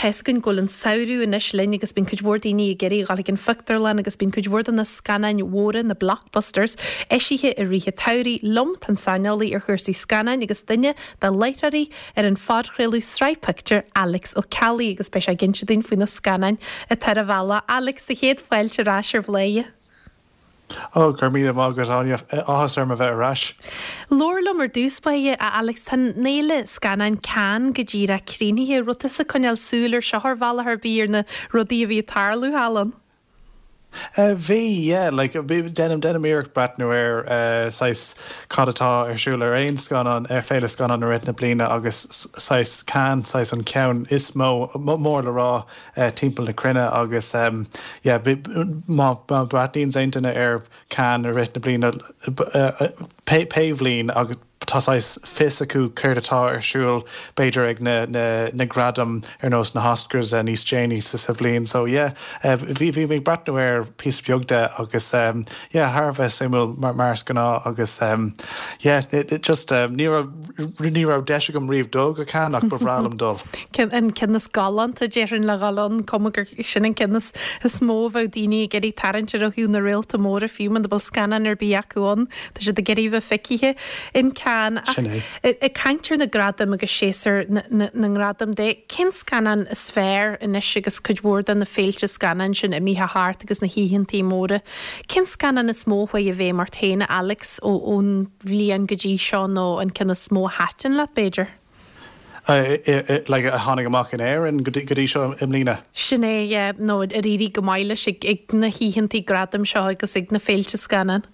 Tá's againn go bhfuil an samhradh anois linn agus bíonn cuid mhór daoine ag iarraidh a dhul chuig an phictiúrlann agus bíonn cuid mhór de na scannáin mhóra, na blockbusters, eisithe i rith an tsamhraidh. Liom tá an saineolaí ar chúrsaí scannáin agus duine de láithreoirí ar an phodchraoladh Sraith Pictiúr, Alex Ó Ceallaigh agus beidh sé ag inse dúinn faoi na scannáin atá ar an bhealach. Alex, do chéad fáilte ar ais ar Bhladhaire. Ó, go raibh míle maith agat, Áine. Áthas orm a bheith ar ais. Labhair liom ar dtús báire, a Alex, tá an fhéile scannáin Cannes go díreach críochnaithe. Raibh tusa ag coinneáil súil ar seo ar bhealach ar bith ar na rudaí a bhí ag tarlú thall ann? Bhí, yeah. Like, déanaim, déanaim iarracht breathnú ar saghas cad atá ar siúl ar aon scannán, ar féile scannán i rith na bliana agus saghas Cannes, saghas an ceann is mó, mór le rá timpeall na cruinne agus yeah má bhreathnaíonn aon duine ar Cannes i rith na bliana pé bhliain agus tá saghas fios acu céard atá ar siúl b'fhéidir ag na na gradaim ar nós na hOscars níos déanaí sa bhliain so yeah bhí bhí mé ag breathnú air píosa beag de agus yeah thar a bheith suimiúil mar is gnáth agus yeah just ní raibh ní raibh deis agam riamh dul go Cannes ach ba bhreá liom dul. An ceann is galánta, déarfainn, le dhul ann, cuma gur sin an ceann is mó a bheadh daoine ag iarraidh tarraingt air ó thaobh na réalta móra fiú muna bhfuil scannán ar bith acu ann, tá siad ag iarraidh a bheith feicthe in Cannes. Ach Sin é. ag caint ar na gradaim agus séasúr na ngradam de, cén scannán is fearr anois agus cuid mhór de na féilte scannáin sin imithe thart agus na hoícheantaí móra, cén scannán is mó a chuaigh i bhfeidhm ort féin, a Alex, ón bhliain go dtí seo nó an ceann is mó a thaitin leat, b'fhéidir? like a tháinig amach in Éirinn go dtí seo i mbliana. Sin é, yeah, nó ar éirigh go maith leis ag na hoícheantaí gradaim seo agus ag na féilte scannán.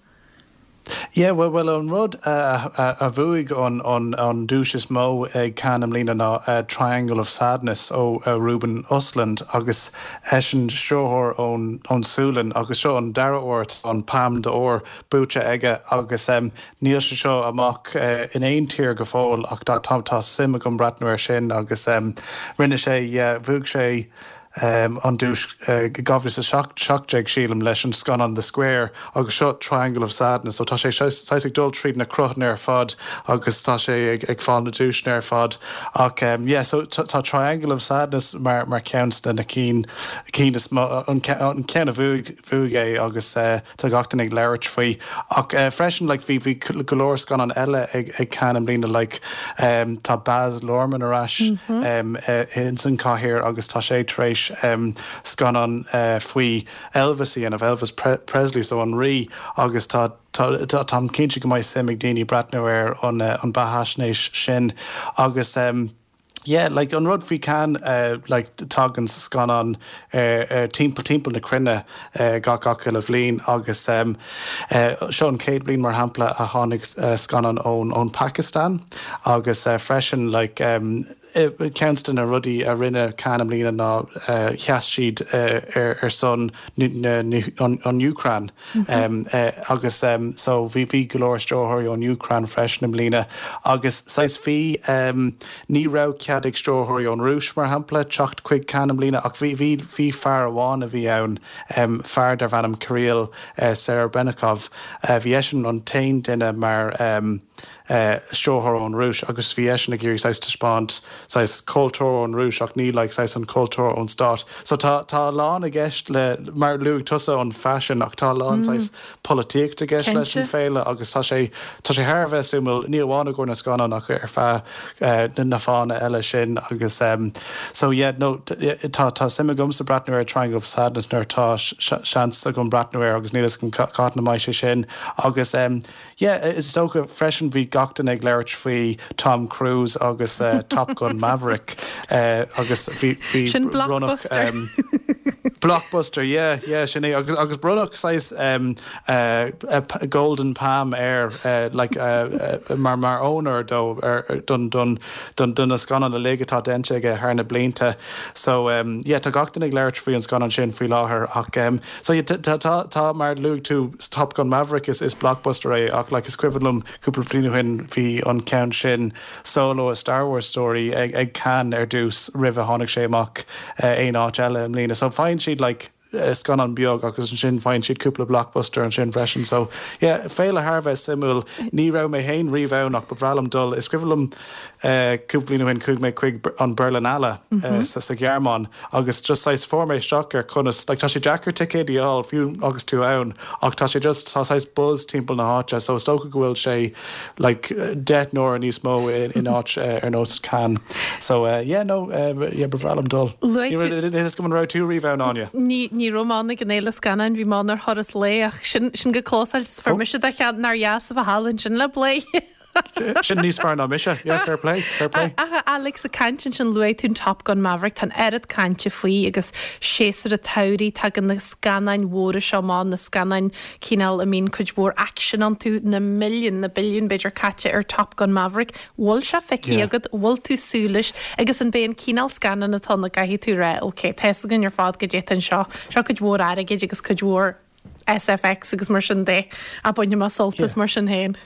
Yeah, bhuel, bhuel an rud a bhuaigh an an duais is mó ag Cannes i mbliana ná Triangle of Sadness ó Ruben Östlund agus eisean stiúrthóir ón ón Sualainn agus seo an dara huair atá an Palme d'Or buaite aige agus Níl sé seo amach in aon tír go fóill ach tá tá suim agam breathnú air sin agus rinne sé, yeah, bhuaigh sé an duais i 2017 sílim leis an scannán The Square agus seo Triangle of Sadness so tá sé saghas ag dul tríd na cruthanna ar fad agus tá sé ag fáil na duaiseanna ar fad ach yeah so tá Triangle of Sadness mar mar cheann de na cinn cinn is mó an ceann a bhuaigh bhuaigh é agus Tá gach duine ag labhairt faoi. Ach freisin like bhí bhí go leor scannán eile ag ag Cannes i mbliana like tá Baz Luhrmann ar ais ins an chathaoir agus tá sé tar éis scannán faoi Elvis a dhéanamh, Elvis Presley so an rí agus tá tá táim cinnte go mbeidh suim ag daoine breathnú ar an an beathaisnéis sin agus Yeah, like an rud faoi Cannes, like tagann scannáin timpeall timpeall na cruinne gach gach uile bhliain agus seo an chéad bhliain mar shampla a tháinig scannán ón ón Pakistan agus freisin like ceann de na rudaí a rinne Cannes i mbliana ná sheas siad ar ar son an Úcráin agus so bhí bhí go leor stiúrthóirí ón Úcráin freisin i mbliana agus saghas bhí ní raibh cead ag stiúrthóirí ón Rúis mar shampla teacht chuig Cannes i mbliana ach bhí bhí bhí fear amháin a bhí ann fear darbh ainm Kirill Serebrennikov bhí eisean an t-aon duine mar stiúrthóir ón Rúis agus bhí eisean ag iarraidh saghas taispeáint saghas cultúr ón Rúis ach ní like saghas an cultúr ón stát. So tá tá a lán i gceist le, mar luaigh tusa an faisean ach tá a lán saghas polaitíocht i gceist leis an féile agus tá sé tá sé thar a bheith suimiúil, ní amháin i gcomhair na scannán ach ar feadh na fáthanna eile sin agus so yeah no tá tá suim agamsa breathnú ar Triangle of Sadness nuair atá seans agam breathnú air agus níl a fhios agam cathain a mbeidh sé sin agus Yeah, is dócha freisin bhí gach duine ag labhairt faoi Tom Cruise agus Top Gun Maverick agus bhí bhí Sin blockbuster. Blockbuster, yeah, yeah, sin é agus agus bronnadh saghas Golden Palm air like mar mar onóir dó ar don don don do na scannáin uilig atá déanta aige thar na blianta. So yeah, tá gach duine ag labhairt faoi an scannán sin faoi láthair ach So yeah, tá, tá, tá, mar luaigh tú Top Gun Maverick, is, is blockbuster é ach like is cuimhin liom cúpla bliain ó shin bhí an ceann sin Solo, A Star Wars Story ag, ag Cannes ar dtús roimh a tháinig sé amach aon áit eile i mbliana. So faigheann siad like. scannán beag agus ansin faigheann siad cúpla blockbuster ansin freisin. So yeah, féile thar a bheith suimiúil. Ní raibh mé féin riamh ann ach ba bhreá liom dul. Is cuimhin liom cúpla bliain ó shin chuaigh mé chuig an Berlinale sa Ghearmáin agus just saghas fuair mé isteach ar conas, like tá sé deacair ticéid a fháil fiú agus tú ann ach tá sé just, tá saghas buzz timpeall na háite so is dócha go bhfuil sé like 10 n-uaire níos mó in áit ar nós Cannes. So yeah no yeah ba bhreá liom dul. Luaigh tú. Níl a fhios agam an raibh tú riamh ann Áine? Ní ní raibh mé ann ag an fhéile scannáin, bhí mé ann ar thuras lae ach sin sin go closáilte is fuair mise do cheann nár dheas a bheith thall ansin le Bladhaire. Sin níos fearr ná mise. Yeah, fair play, fair play. Ach a Alex, ag caint ansin, luaigh tú an Top Gun Maverick, tá an oiread cainte faoi agus séasúr an tsamhraidh, tagann na scannáin mhóra seo amach, na scannáin cineál a mbíonn cuid mhór aicsin iontu, na milliúin, na billiúin b'fhéidir caite ar Top Gun Maverick. Bhfuil sé feicthe Yeah. agat, bhfuil tú súil leis agus an b'é an cineál scannán atá ann a gcaithfidh tú rá, ok, tá fhios againn ar fad goidé atá anseo, seo cuid mhór airgid agus cuid mhór SFX agus mar sin de, ach bainfidh mé sult as Yeah. mar sin féin.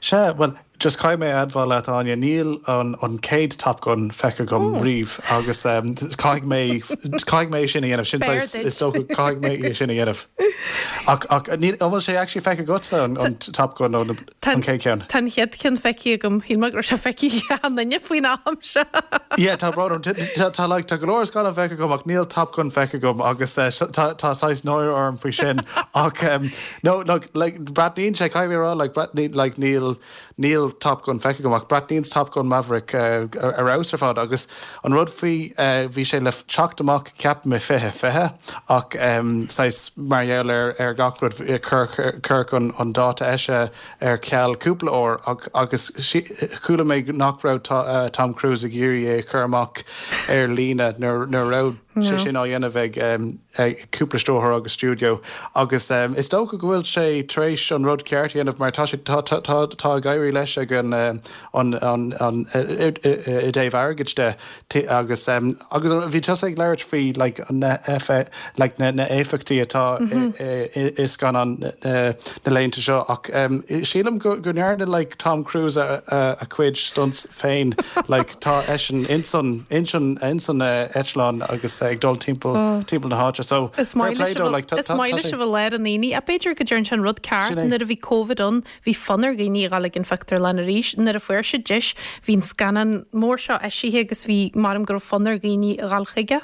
Sea, bhuel, just caithfidh mé a admháil leat, Áine, níl an an chéad Top Gun feicthe agam riamh agus caithfidh mé, caithfidh mé é sin a dhéanamh, sin B'fhearr saghas, duit. is dócha, caithfidh mé é sin a dhéanamh. Ach, ach, níl, an bhfuil sé actually feicthe agatsa, an, an Top Gun nó na, Tá an chéad cheann? Tá an chéad cheann feicthe agam, shíl mé go raibh sé feicthe ag achan duine faoin am seo. Yeah, tá brón orm, tá, tá like, tá go leor scannán feicthe agam ach níl Top Gun feicthe agam agus tá, tá saghas náire orm faoi sin ach No, look, like, breathnaíonn sé, caithfidh mé a rá, like, breathnaíonn, like, níl, níl Top Gun feicthe agam ach breathnaíonn Top Gun Maverick ar fheabhas ar fad agus an rud faoi, bhí sé le teacht amach ceapaim i 2020 ach saghas mar gheall ar, ar gach rud, cuireadh an, an dáta eisithe ar ceal cúpla uair ach, agus chuala mé nach raibh Tom Cruise ag iarraidh é a chur amach ar líne nuair, nuair a raibh sé sin á dhéanamh ag. ag cúpla stiúrthóir agus stiúideo agus is dócha go bhfuil sé tar éis an rud ceart a dhéanamh mar tá sé tá tá tá tá ag éirí leis ag an an an an i dtaobh airgid de agus agus bhí tusa ag labhairt faoi like na like na na éifeachtaí atá i i scannáin na laethanta seo ach sílim go go ndearna like Tom Cruise a a chuid stunts féin like tá eisean insan insan insan eitleán agus ag dul timpeall timpeall na háite so Is fair maith play leis dó like tá is tá maith tá leis sé a bheith i lár an aonaigh. Ach b'fhéidir go dtearn sé an rud ceart Sin é. nuair a bhí Covid ann bhí fonn ar dhaoine a dhul ag an phictiúrlann arís. Nuair a fuair siad deis bhí an scannán mór seo eisithe agus bhí maram go raibh fonn ar dhaoine a dhul chuige.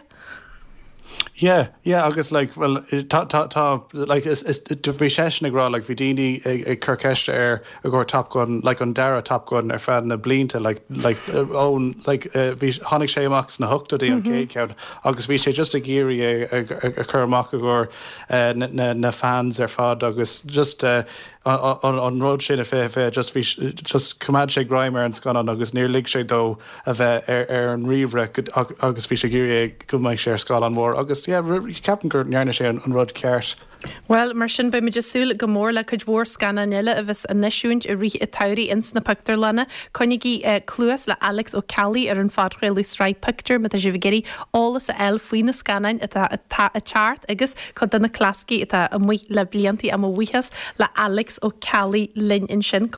Yeah, yeah agus like well tá tá tá like is is bhí seisean ag rá like bhí daoine ag ag cur ceiste air i gcomhair Top Gun like an dara Top Gun ar feadh na blianta like like ón like bhí tháinig sé amach sna hochtóidí an chéad cheann agus bhí sé just ag iarraidh é a a chur amach i gcomhair na na na fans ar fad agus just an an rud sin i 2020 just bhí just choimeád sé greim ar an scannán agus níor lig sé dó a bheith ar an ríomhaire agus bhí sé ag iarraidh go mbeadh sé ar scáileán mór agus yeah ceapaim go ndearna sé an rud ceart. Bhuel, mar sin, beimid ag súil go mór le cuid mhór scannán eile a bheas á n-eisiúint i rith an tsamhraidh ins na pictiúrlanna. Coinnígí cluas le Alex Ó Ceallaigh ar an phodchraoladh Sraith Pictiúr má tá sibh ag iarraidh eolas a fháil faoi na scannáin atá atá ag teacht agus cuid de na clasaicí atá amuigh le bliantaí. Mo bhuíochas le Alex Ó Ceallaigh linn ansin.